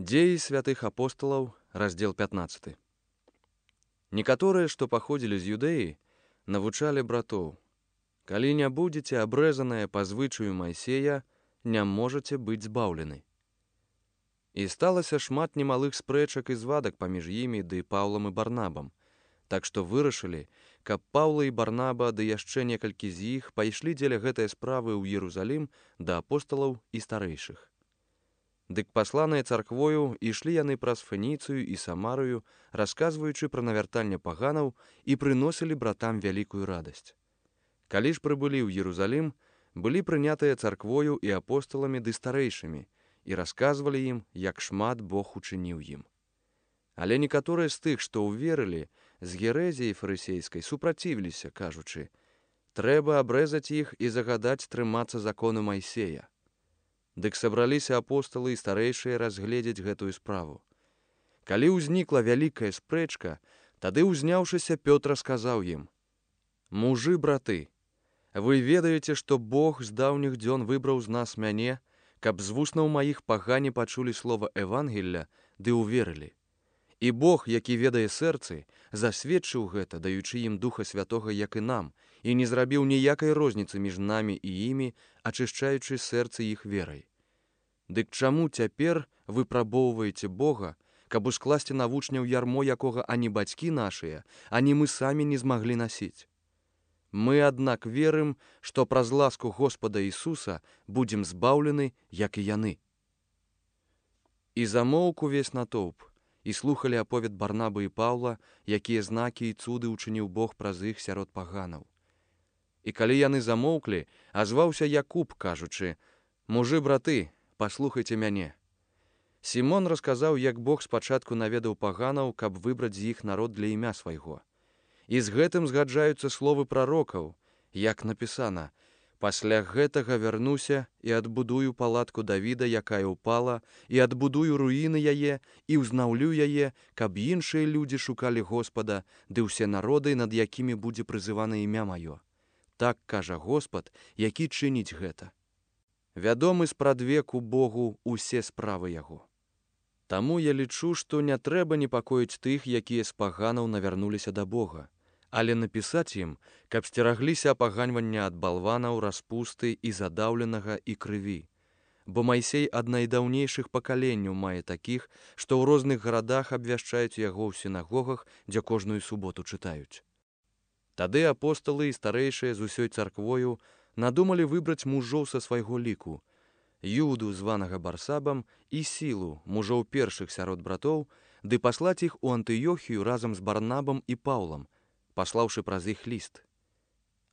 Дзеі святых апосталаў, раздзел 15. Некаторыя, што паходзілі з Юдэі, навучалі братоў: калі не будзеце абрэзаныя па звычаю Майсея, не можаце быць збаўлены. І сталася шмат немалых спрэчак і звадак паміж імі ды Паўлам і Барнабам, так што вырашылі, каб Паўла і Барнаба ды яшчэ некалькі з іх пайшлі дзеля гэтай справы ў Іерусалім да апосталаў і старэйшых. Дык пасланыя царквою ішлі яны праз Фэніцыю і Самарыю, расказваючы пра навяртанне паганаў, і прыносілі братам вялікую радасць. Калі ж прыбылі ў Іерусалім, былі прынятыя царквою і апосталамі ды старэйшымі, і расказвалі ім, як шмат Бог учыніў ім. Але некаторыя з тых, што ўверылі, з герэзіяй фарысейскай супрацівіліся, кажучы: трэба абрэзаць іх і загадаць трымацца закону Майсея. Дык сабраліся апосталы і старэйшыя разгледзець гэтую справу. Калі ўзнікла вялікая спрэчка, тады, узняўшыся, Пётр сказаў ім: мужы, браты, вы ведаеце, што Бог з даўніх дзён выбраў з нас мяне, каб з вуснаў маіх пагане пачулі слова Евангелля ды ўверылі. І Бог, які ведае сэрцы, засведчыў гэта, даючы ім Духа Святога, як і нам, і не зрабіў ніякай розніцы між намі і імі, ачышчаючы сэрцы іх верай. Дык чаму цяпер выпрабоўваеце Бога, каб ускласці на вучняў ярмо, якога ані бацькі нашыя, ані мы самі не змаглі насіць? Мы, аднак, верым, што праз ласку Господа Ісуса будзем збаўлены, як і яны. І замоўк увесь натоўп, і слухалі аповед Барнабы і Паўла, якія знакі і цуды ўчыніў Бог праз іх сярод паганаў. І калі яны замоўклі, азваўся Якуб, кажучы: мужы, браты, паслухайце мяне. Сімон расказаў, як Бог спачатку наведаў паганаў, каб выбраць з іх народ для імя свайго. І з гэтым згаджаюцца словы прарокаў, як напісана: пасля гэтага вярнуся і адбудую палатку Давіда, якая ўпала, і адбудую руіны яе, і ўзнаўлю яе, каб іншыя людзі шукалі Господа, ды ўсе народы, над якімі будзе прызывана імя маё. Так кажа Господ, які чыніць гэта. Вядомы спрадвеку Богу усе справы яго. Таму я лічу, што не трэба непакоіць тых, якія з паганаў навярнуліся да Бога, але напісаць ім, каб сцерагліся апаганьвання ад балванаў, распусты і задаўленага і крыві. Бо Майсей ад найдаўнейшых пакаленняў мае такіх, што ў розных гарадах абвяшчаюць яго ў сінагогах, дзе кожную суботу чытаюць. Тады апосталы і старэйшыя з усёй царквою надумалі выбраць мужоў са свайго ліку: Юду, званага Барсабам, і Сілу, мужоў першых сярод братоў, ды паслаць іх у Антыёхію разам з Барнабам і Паўлам, паслаўшы праз іх ліст: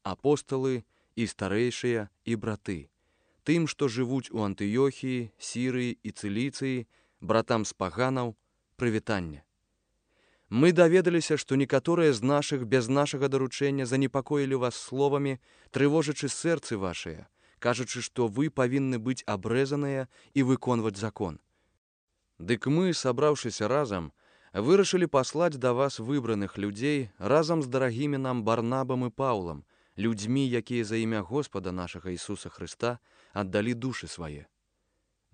апосталы і старэйшыя і браты, тым, што жывуць у Антыёхіі, Сірыі і Цыліцыі, братам з паганаў, прывітанне. Мы даведаліся, што некаторыя з нашых без нашага даручэння занепакоілі вас словамі, трывожачы сэрцы вашыя, кажучы, што вы павінны быць абрэзаныя і выконваць закон. Дык мы, сабраўшыся разам, вырашылі паслаць да вас выбраных людзей разам з дарагімі нам Барнабам і Паўлам, людзьмі, якія за імя Господа нашага Ісуса Хрыста аддалі душы свае.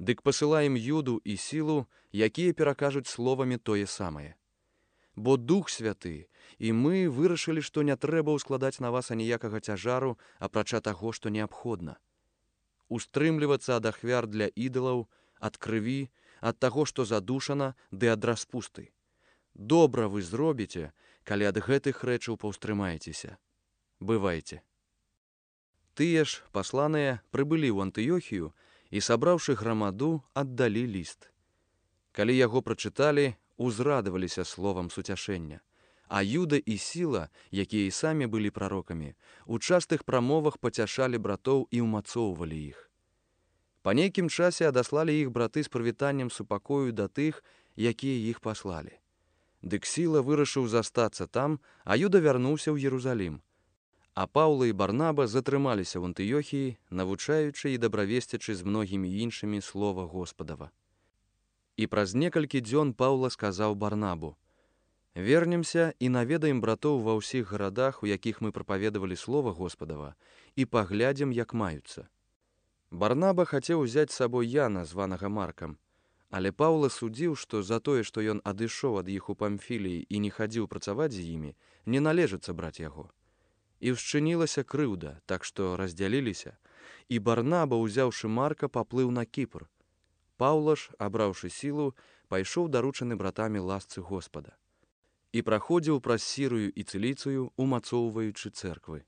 Дык пасылаем Юду і Сілу, якія перакажуць словамі тое самае. Бо Дух Святы і мы вырашылі, што не трэба ўскладаць на вас аніякага цяжару, апрача таго, што неабходна. Устрымлівацца ад ахвяр для ідалаў, ад крыві, ад таго, што задушана, ды ад распусты. Добра вы зробіце, калі ад гэтых рэчаў паўстрымаецеся. Бывайце. Тыя ж, пасланыя, прыбылі ў Антыёхію і, сабраўшы грамаду, аддалі ліст. Калі яго прачыталі, узрадаваліся словам суцяшэння, а Юда і Сіла, якія і самі былі прарокамі, у частых прамовах пацяшалі братоў і ўмацоўвалі іх. Па нейкім часе адаслалі іх браты з прывітаннем супакою да тых, якія іх паслалі. Дык Сіла вырашыў застацца там, а Юда вярнуўся ў Іерусалім. А Паўла і Барнаба затрымаліся ў Антыёхіі, навучаючы і дабравесцячы з многімі іншымі слова Господава. І праз некалькі дзён Паўла сказаў Барнабу: вернемся і наведаем братоў ва ўсіх гарадах, у якіх мы прапаведавалі слова Господава, і паглядзім, як маюцца. Барнаба хацеў узяць з сабой Яна, званага Маркам, Але Паўла судзіў, што за тое, што ён адышоў ад іх у Памфіліі і не хадзіў працаваць з імі, не належыцца браць яго. І ўшчынілася крыўда, так што раздзяліліся, і Барнаба, узяўшы Марка, паплыў на Кіпр. Паўла ж, абраўшы сілу, пайшоў даручаны братамі ласцы Господа і праходзіў праз Сірыю і Цыліцыю, умацоўваючы цэрквы.